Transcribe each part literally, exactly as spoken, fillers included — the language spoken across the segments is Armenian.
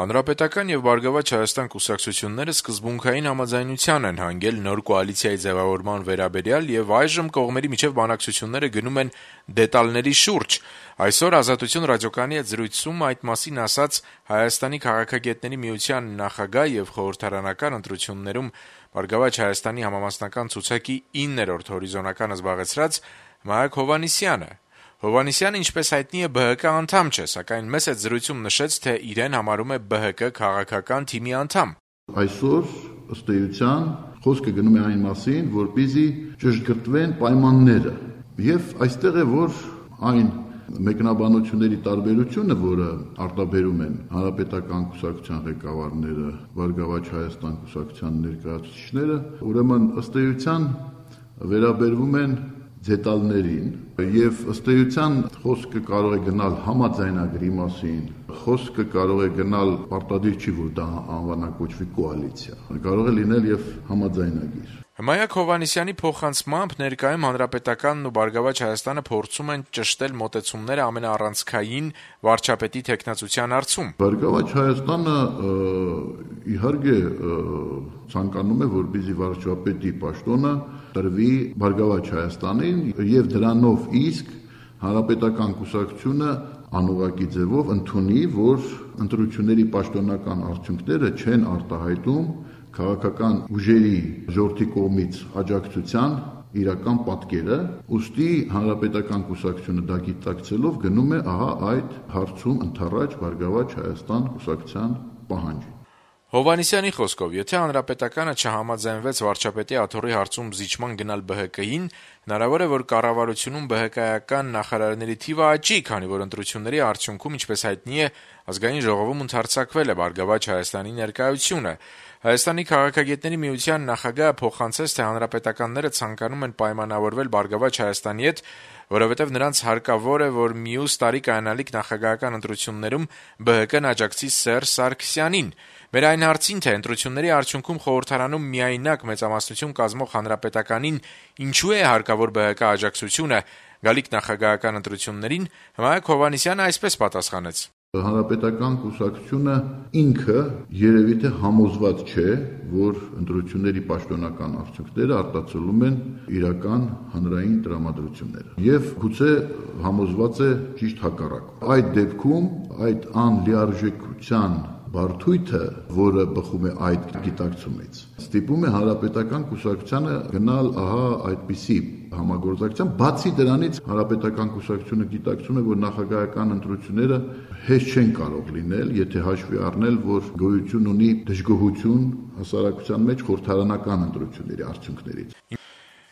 Հանրապետական եւ Բարգավաճ Հայաստան կուսակցությունները սկզբունքային համաձայնության են հանգել նոր կոալիցիայի ձեւավորման վերաբերյալ եւ այժմ կողմերի միջեւ բանակցությունները գնում են դետալների շուրջ։ Այսօր Ազատություն ռադիոկայանի հետ զրույցում այդ մասին ասաց Հայաստանի քաղաքագետների միության նախագահ եւ խորհրդարանական ընտրություններում Բարգավաճ Հայաստանի համամասնական ցուցակի իններորդ հորիզոնականը զբաղեցրած Մայակ Հովհաննիսյանը։ Հովհաննիսյանը, ինչպես հայտնի է, Բ Հ Կ անդամ չէ, սակայն մեծ այդ զրույցում նշեց, թե իրեն համարում է Բ Հ Կ քաղաքական թիմի անդամ։ Այսօր ըստ էության խոսքը գնում է այն մասին, որպեսզի ճշգրտվեն պայմանները, եւ այստեղ է, որ այն մեկնաբանությունների տարբերությունը, որը արտաբերում են Հանրապետական կուսակցության ղեկավարները, Բարգավաճ Հայաստան կուսակցության ներկայացուցիչները, ուրեմն ըստ էության վերաբերվում են դետալներին եւ ըստ էության խոսքը կարող է գնալ համաձայնագրի մասին, խոսքը կարող է գնալ պարտադիր չի, որ դա անվանակոչվի կոալիցիա, կարող է լինել եւ համաձայնագիր։ Մայակ Հովհաննիսյանի փոխանցմամբ ներկայում Հանրապետականն ու Բարգավաճ Հայաստանը փորձում են ճշտել մոտեցումները ամենաառանցքային վարչապետի թեկնածության հարցում։ Բարգավաճ Հայաստանը իհարկե ցանկանում է, որպեսզի վարչապետի պաշտոնը տրվի Բարգավաճ Հայաստանին եւ դրանով իսկ Հանրապետական կուսակցությունը անուղղակի ձևով ընդունի, որ ընտրությունների պաշտոնական արդյունքները չեն արտահայտում քաղաքական ուժերի ժողովրդի կողմից աջակցության իրական պատկերը, ուստի Հանրապետական կուսակցությունը դա գիտակցելով գնում է ահա այդ հարցում ընդառաջ Բարգավաճ Հայաստան կուսակցության պահանջին։ Հովհաննիսյանի խոսքով, եթե Հանրապետականը չհամաձայնվեց վարչապետի աթոռի հարցում զիջման գնալ Բ Հ Կ-ին, հնարավոր է, որ կառավարությունում Բ Հ Կ-ական նախարարների թիվը աճի, քանի որ ընտրությունների արդյունքում, ինչպես հայտնի է, ազգային ժողովում ընդհարձակվել է Բարգավաճ Հայաստանի ներկայությունը։ Հայաստանի քաղաքագետների միության նախագահը փոխանցեց, թե հանրապետականները ցանկանում են պայմանավորվել Բարգավաճ Հայաստանի հետ, որովհետև նրանց հարկավոր է, որ մյուս տարի կայանալիք նախագահական ընտրություններում Բ Հ Կ-ն աջակցի Սերժ Սարգսյանին։ Մեր այն հարցին, թե ընտրությունների արդյունքում խորհրդարանում միայնակ մեծամասնություն կազմող Հանրապետականին ինչու է հարկավոր Բ Հ Կ աջակցությունը գալիք նախագահական ընտրություններին, Մայակ Հովհաննիսյանը այսպես պատասխանեց. Հանրապետական կուսակցությունը ինքը երևի թե համոզված չէ, որ ընտրությունների պաշտոնական արդյունքները արտացոլում են իրական հանրային տրամադրությունները։ Եվ գուցե համոզված է ճիշտ հակառակը։ Այդ դեպքում այդ անլիարժեքության բարդույթը, որը բխում է այդ գիտակցումից, ստիպում է Հանրապետական կուսակցությանը գնալ ահա այդպիսի համագործակցության, բացի դրանից Հանրապետական կուսակցությունը գիտակցում է, որ նախագահական ընտրությունները հեշտ չեն կարող լինել, եթե հաշվի առնել, որ գոյություն ունի դժգոհություն հասարակության մեջ խորհրդարանական ընտրությունների արդյունքներից։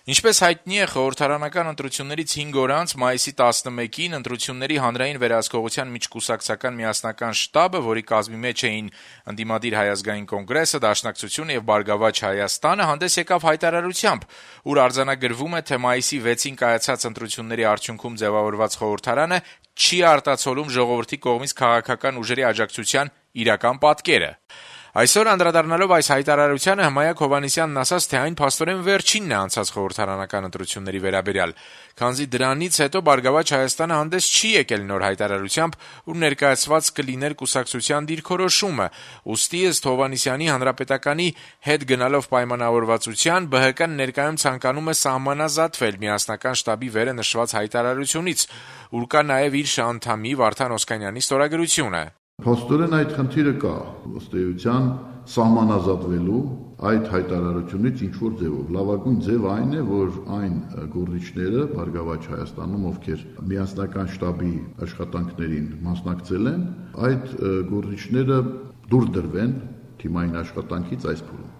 Ինչպես հայտնի է, խորհրդարանական ընտրություններից հինգ օր անց մայիսի տասնմեկին ընտրությունների հանրային վերահսկողության միջկուսակցական միասնական շտաբը, որի կազմի մեջ էին ընդդիմադիր Հայ ազգային կոնգրեսը, Դաշնակցությունը եւ Բարգավաճ Հայաստանը, հանդես եկավ հայտարարությամբ, ուր արձանագրվում է, թե մայիսի վեցին կայացած ընտրությունների արդյունքում ձևավորված խորհրդարանը չի արտացոլում ժողովրդի կողմից քաղաքական ուժերի աջակցության իրական պատկերը։ Այսօր անդրադառնալով այս հայտարարությանը Մայակ Հովհաննիսյանն ասաց, թե այն փաստորեն վերջինն է անցած խորհրդարանական ընտրությունների վերաբերյալ, քանզի դրանից հետո Բարգավաճ Հայաստանը հանդես չի եկել նոր հայտարարությամբ, ուր ներկայացված կլիներ կուսակցության դիրքորոշումը, ուստի ըստ Հովհաննիսյանի Հանրապետականի հետ գնալով պայմանավորվածության Բ Հ Կ-ն ներկայում ցանկանում է սահմանազատվել միասնական շտաբի վերը նշված հայտարարությունից, ուր կա նաև իր անդամի Վարդան Օսկանյանի ստորագրությունը։ Փաստորեն այդ խնդիրը կա, ըստ էության սահմանազատվելու այդ հայտարարությունից ինչ-որ ձևով։ Լավագույն ձևը այն է, որ այն գործիչները Բարգավաճ Հայաստանում, ովքեր միասնական շտաբի աշխատանքներին մասնակցել են, այդ գործիչները դուրս դրվեն թիմային աշխատանքից այս փուլում։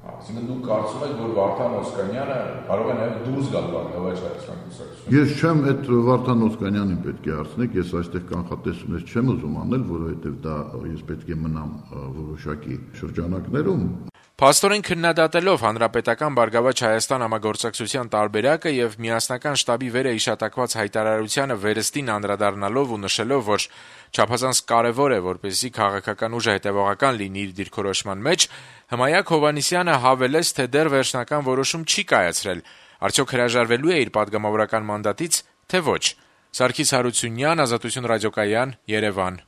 Այսինքն դուք կարծում եք, որ Վարդան Օսկանյանը կարող է նաև դուրս գալ Բարգավաճ Հայաստան կուսակցությունից։ Ես չեմ այդ Վարդան Օսկանյանին պետք է հարցնեք, ես այստեղ կանխատեսումներ չեմ ուզում անել, որովհետև դա ես պետք է մնամ որոշակի շրջանակներում։ Փաստորեն քննադատելով Հանրապետական Բարգավաճ Հայաստան համագործակցության տարբերակը եւ միասնական շտաբի վերը իշտակված հայտարարությանը վերստին անդրադառնալով ու նշելով, որ չափազանց կարեւոր է, որպեսզի քաղաքական ուժը հետեւողական լինի իր դիրքորոշման մեջ, Մայակ Հովհաննիսյանը հավելեց, թե դեռ վերջնական որոշում չի կայացրել, արդյոք հրաժարվելու է իր падգամավորական մանդատից, թե ոչ։ Սարգիս Հարությունյան, Ազատություն ռադիոկայան, Երևան։